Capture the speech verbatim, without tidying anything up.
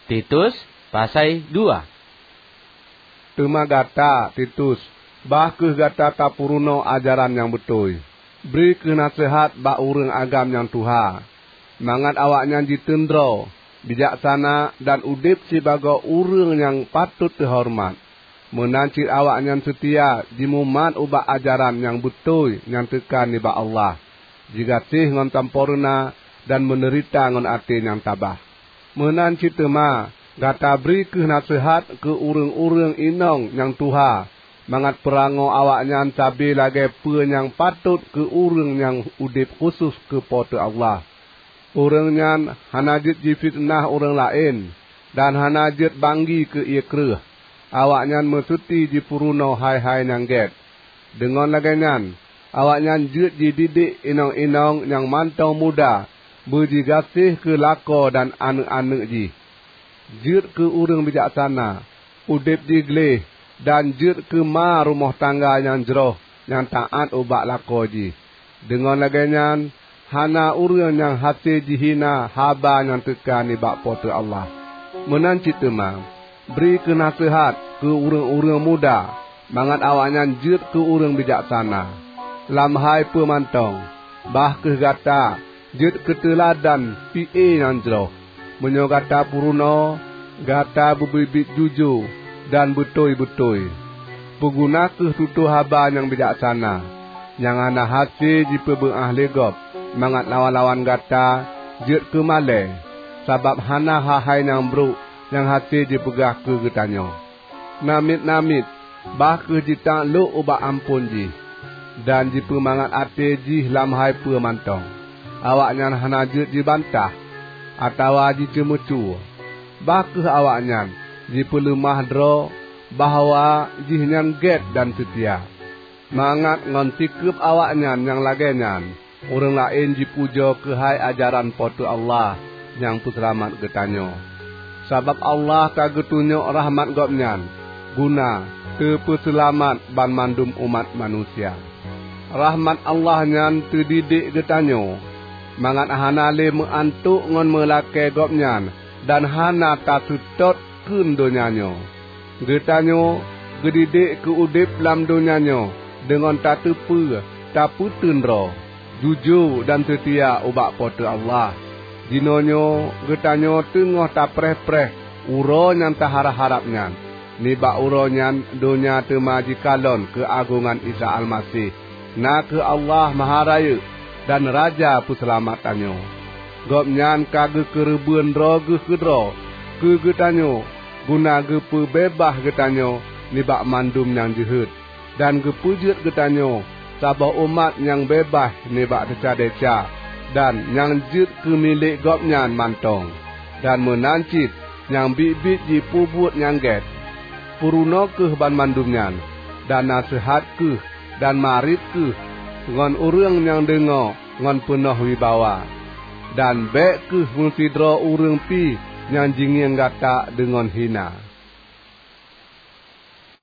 Titus, pasai dua. Teuma gata, Titus, bah kheueh gata tapeurunoe ajaran nyang beutôi. Bri kheueh naseuhat bak ureuëng agam nyang tuha, mangat awaknyan jiteundroe, bijaksana, dan udeb sibagoe ureuëng nyang patot teuhoreumat. Meunan cit awaknyan seutia jimumat ubak ajaran nyang beutôi nyang teuka nibak Allah, jigaséh ngon sampoereuna, dan meuneurita ngon até nyang tabah. Meunan cit teuma, gata bri kheueh naseuhat keu ureuëng-ureuëng inong nyang tuha, mangat peurangoe awaknyan sabe lagée peue nyang patot keu ureuëng nyang udeb khusos keu Po teu Allah. Ureuëng nyan hana jeuet jifiteunah ureuëng laén, dan hana jeuet banggi keu ié kreueh. Awaknyan meuseuti jipeurunoe hai-hai nyang gét. Deungon lagée nyan, awaknyan jeuet jididik inong-inong nyang mantong muda beujigaséh keu lakoe dan aneuëk-aneuëk jih. Jeuet keu ureuëng bijaksana, udeb jih gleh, dan jeuet keu ma rumoh tangga nyang jroh nyang taát ubak lakoe jih. Deungon lagée nyan, hana ureuëng nyang hase jihina haba nyang teuka nibak Po teu Allah. Meunan cit teuma, bri kheueh naseuhat keu ureuëng-ureuëng muda, mangat awaknyan jeuet keu ureuëng bijaksana. Lam hai peue mantong, bah kheueh gata jeuet keu teuladan pi-e nyang jroh. Meunyoe gata peurunoe, gata beubiet-biet jujue dan beutôi-beutôi. Peuguna kheueh tutoe haba nyang bijaksana, nyang hana hase jipeubeuáh lé gob, mangat lawan-lawan gata jeuet keu malée, sabab hana hai-hai nyang brok nyang hase jipeugah keu geutanyoe. Namiet-namiet, bah kheueh jitaklok ubak amphon jih, dan jipeumangat até jih lam hai peue mantong. Awaknyan hana jeuet jibantah, atawa jiceumeucue. Bah kheueh awaknyan jipeuleumah droe bahwa jihnyan gét dan seutia, mangat ngon sikeueb awaknyan nyang lagée nyan, ureuëng laén jipujoe keuhai ajaran Po teu Allah nyang peuseulamat geutanyoe. Sabab Allah ka geutunyok rahmat Gobnyan guna teupeuseulamat banmandum umat manusia. Rahmat Allah nyan teudidik geutanyoe, mangat hana lé meuantok ngon meulakée Gobnyan dan hana taseutôt kheun donya nyoe. Geutanyoe geudidik keu udeb lam donya nyoe deungon tateupeue, tapeuteun droe, jujue dan seutia ubak Po teu Allah. Jinoenyoe geutanyoe teungoh tapreh-preh uroe nyang taharab-harab nyan. Nibak uroe nyan donya teuma jikalon keuagongan Isa Almaseh, na kheueh Allah Maharayeuk dan Raja Peuseulamat tanyoe. Gobnyan ka geukeureubeuen droe Geuh keudroe keu geutanyoe, guna geupeubeubaih geutanyoe nibak mandum nyang jeuhet, dan geupeujeuet geutanyoe saboh umat nyang beubaih nibak desya-desya, dan nyang jeuet keu milék Gobnyan mantong, dan meunan cit nyang biet-biet jipeubuet nyang gét. Peurunoe kheueh banmandum nyan, dan naseuhat kheueh, dan marit kheueh ngon ureuëng nyang deungoe ngon peunoh wibawa. Dan bék kheueh meusidroe ureuëng pih nyang jingieng gata deungon hina.